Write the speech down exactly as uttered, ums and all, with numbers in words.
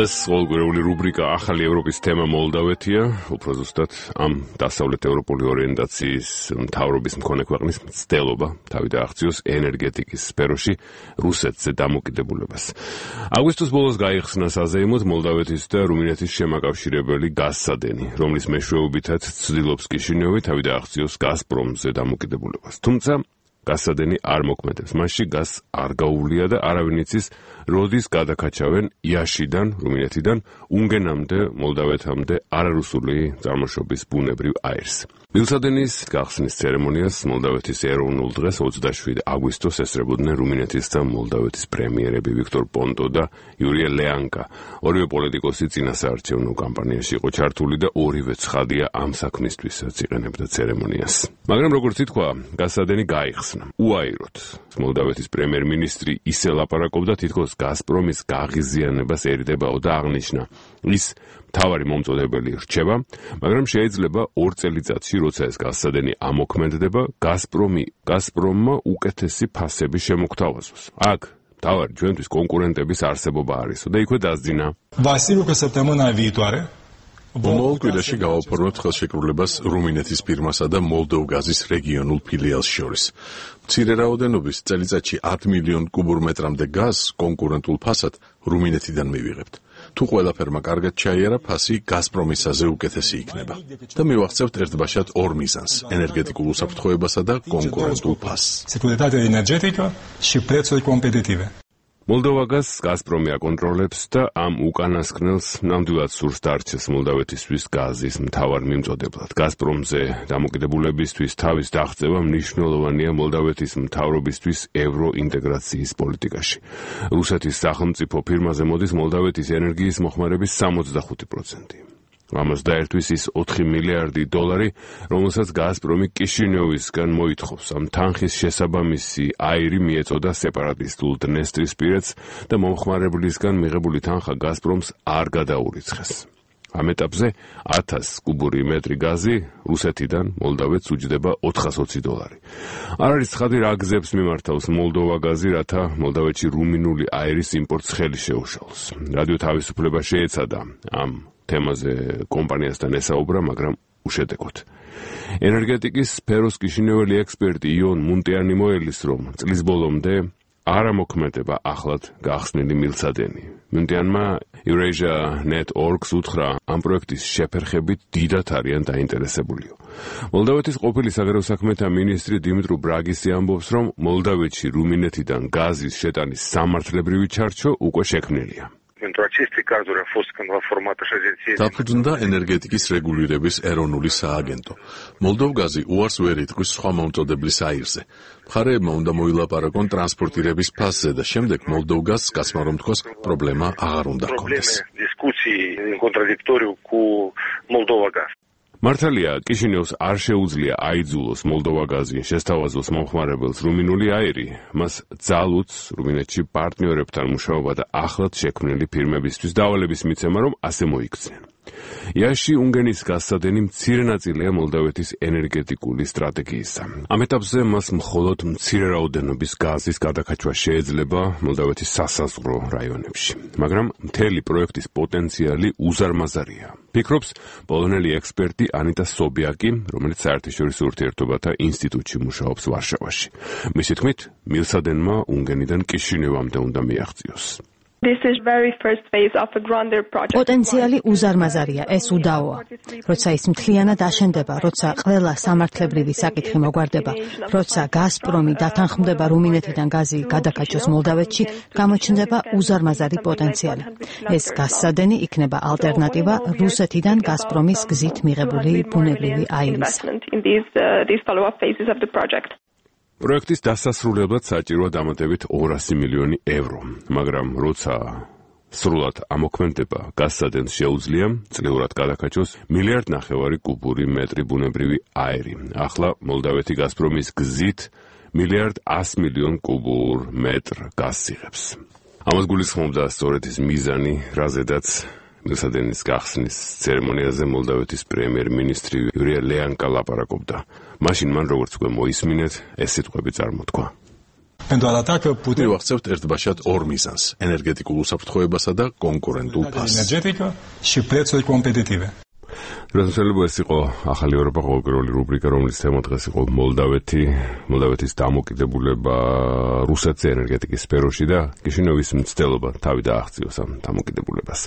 დღეს ყოველკვირეული რუბრიკა ახალი ევროპის თემა მოლდავეთია, უფრო ზუსტად ამ დასავლეთ ევროპული ორიენტაციის მთავრობის მქონე ქვეყნის მცდელობა თავი დააღწიოს ენერგეტიკის სფეროში რუსეთზე დამოკიდებულებას. აგვისტოს ბოლოს გაიხსნა საზეიმოდ მოლდავეთის და რუმინეთის შემაკავშირებელი გაზსადენი, რომლის მეშვეობითაც ცდილობს კიშინიოვი თავი დააღწიოს გაზპრომზე დამოკიდებულებას. თუმცა გაზსადენი არ მოქმედებს. მასში გაზს არ გაუვლია და არავინ იცის, როდის გადაკაჩავენ იაშიდან, რუმინეთიდან, უნგენამდე, მოლდავეთამდე არარუსული წარმოშობის ბუნებრივ აირს. მილსადენის გახსნის ცერემონიას მოლდავეთის ეროვნულ დღეს ოცდაშვიდი აგვისტოს ესწრებოდნენ რუმინეთის და მოლდავეთის პრემიერები ვიქტორ პონტო და იურია ლეანკა. ორივე პოლიტიკოსი წინასაარჩევნო კამპანიაში იყო ჩართული და ორივე ცხადია ამ საქმისთვისაც იყენებდა ცერემონიას. მაგრამ როგორც ითქვა, გაზსადენი გაიხსნა. უაიროთ. მოლდავეთის პრემიერ-მინისტრი ისე ლაპარაკობდა, თითქოს გაზპრომის გაღიზიანებას ერიდებაო და აღნიშნა, ის მთავარი მომწოდებელი რჩება, მაგრამ შეიძლება ორ წელიწადში, როცა ეს გაზსადენი ამოქმედდება, გაზპრომი გაზპრომმა უკეთესი ფასები შემოგთავაზოს. აქ მთავარი ჩვენთვის კონკურენტების არსებობა არისო და იქვე დასძინა. Vasilu săptămâna viitoare მომავალ კვირაში გავაფორმებთ ხელშეკრულებას რუმინეთის ფირმასა და მოლდოვგაზის რეგიონულ ფილიალს შორის. მცირე რაოდენობის წელიწადში ათ მილიონ კუბურ მეტრამდე გაზს კონკურენტულ ფასად რუმინეთიდან მივიღებთ. თუ ყველაფერმა კარგად ჩაიარა, ფასი გაზპრომისაზე უკეთესი იქნება. და მივახცევთ ერთბაშად ორ მიზანს: ენერგეტიკულ უსაფრთხოებასა და კონკურენტულ ფასს. Securitatea energetică și prețuri competitive. მოლდოვაგას გაზპრომი აკონტროლებს და ამ უკანასკნელს ნამდვილად სურს დარჩეს მოლდავეთისთვის გაზის მთავარ მიმწოდებლად. გაზპრომზე დამოკიდებულებისთვის თავის დაღწევა მნიშვნელოვანია მოლდავეთის მთავრობისთვის ევროინტეგრაციის პოლიტიკაში. რუსეთის სახელმწიფო ფირმაზე მოდის მოლდავეთის ენერგიის მოხმარების სამოცდახუთი პროცენტი. ამას დაერთვის ის ოთხი მილიარდი დოლარი, რომელსაც გაზპრომი კიშინიოვისგან მოითხოვს. ამ თანხის შესაბამისი აირი მიეწოდა სეპარატისტულ დნესტრისპირეთს და მომხმარებლისგან მიღებული თანხა გაზპრომს არ გადაურიცხეს. ამ ეტაპზე ათას კუბური მეტრი გაზი რუსეთიდან მოლდავეთს უჯდება ოთხასოცი დოლარი. არ არის ცხადი რა გზებს მიმართავს მოლდოვაგაზი, რათა მოლდავეთში რუმინული აირის იმპორტს ხელი შეუშალოს. რადიო თავისუფლება შეეცადა ამ თემაზე კომპანიასთან ესაუბრა, მაგრამ უშედეგოდ. ენერგეტიკის სფეროს კიშინიოველი ექსპერტი იონ მუნტიანი მოელის, რომ წლის ბოლომდე არ ამოქმედება ახლად გახსნილი მილსადენი. მუნტიანმა Eurasia net org-ს უთხრა, ამ პროექტის შეფერხებით დიდად არიან დაინტერესებულიო. მოლდავეთის ყოფილი საგარეო საქმეთა მინისტრი დიმიტრო ბრაგისი ამბობს, რომ მოლდავეთში რუმინეთიდან გაზის შეტანის სამართლებრივი ჩარჩო უკვე შექმნილია. დაფუძნდა ენერგეტიკის რეგულირების ეროვნული სააგენტო. მოლდოვგაზი უარს ვერ იტყვის სხვა მომწოდებლის აირზე. მხარეებმა უნდა მოილაპარაკონ ტრანსპორტირების ფასზე და შემდეგ მოლდოვგაზს გასმა რომ თქოს პრობლემა აღარ უნდა ჰქონდეს. მართალია, კიშინიოვს არ შეუძლია აიძულოს მოლდოვაგაზი შესთავაზოს მომხმარებელს რუმინული აირი, მას ძალუც რუმინეთში პარტნიორებთან მუშაობა და ახლად შექმნილი ფირმებისთვის დავალების მიცემა, რომ ასე მოიქცნენ. იაში უნგენის გაზსადენი მცირე ნაწილია მოლდავეთის ენერგეტიკული სტრატეგიისა. ამ ეტაპზე მას მხოლოდ მცირე რაოდენობის გაზის გადაკაჩვა შეიძლება მოლდავეთის სასაზღვრო რაიონებში. მაგრამ მთელი პროექტის პოტენციალი უზარმაზარია. ფიქრობს პოლონელი ექსპერტი ანიტა სობიაკი, რომელიც საერთაშორისო ურთიერთობათა ინსტიტუტში მუშაობს ვარშავაში. მისი თქმით, მილსადენმა უნგენიდან კიშინიოვამდე უნდა მიაღწიოს. პოტენციალი უზარმაზარია, ეს უდაოა. როცა ის მთლიანად აშენდება, როცა ყველა სამართლებრივი საკითხი მოგვარდება, როცა გაზპრომი დათანხმდება რუმინეთიდან გაზი გადაკაჩოს მოლდავეთში, გამოჩნდება უზარმაზარი პოტენციალი. ეს გაზსადენი იქნება ალტერნატივა რუსეთიდან გაზპრომის გზით მიღებული ბუნებრივი აირისა. პროექტის დასასრულებლად საჭიროა დამატებით ორასი მილიონი ევრო, მაგრამ როცა სრულად ამოქმედება, გაზსადენს შეუძლია წლიურად გადაკაჩოს მილიარდ ნახევარი კუბური მეტრი ბუნებრივი აირი. ახლა მოლდავეთი გაზპრომის გზით მილიარდ ას მილიონ კუბურ მეტრ გაზს იღებს. ამას გულისხმობდა სწორედ ის მიზანი, რაზედაც მილსადენის გახსნის ცერემონიაზე მოლდავეთის პრემიერ-მინისტრი იურია ლეანკა ლაპარაკობდა. მაშინ მან როგორც უკვე მოისმინეთ, ეს სიტყვები წარმოთქვა. pentru a arăta că putem მივახცევთ ერთბაშად ორ მიზანს: ენერგეტიკულ უსაფრთხოებასა და კონკურენტულ ფასს. energetică și prețuri competitive. რასაძლოა ეს იყო ახალი ევროპა ყოველკვირეული რუბრიკა, რომლის თემა დღეს იყო მოლდავეთი, მოლდავეთის დამოკიდებულება რუსეთზე ენერგეტიკის სფეროში და კიშინოვის მცდელობა თავი დააღწიოს ამ დამოკიდებულებას.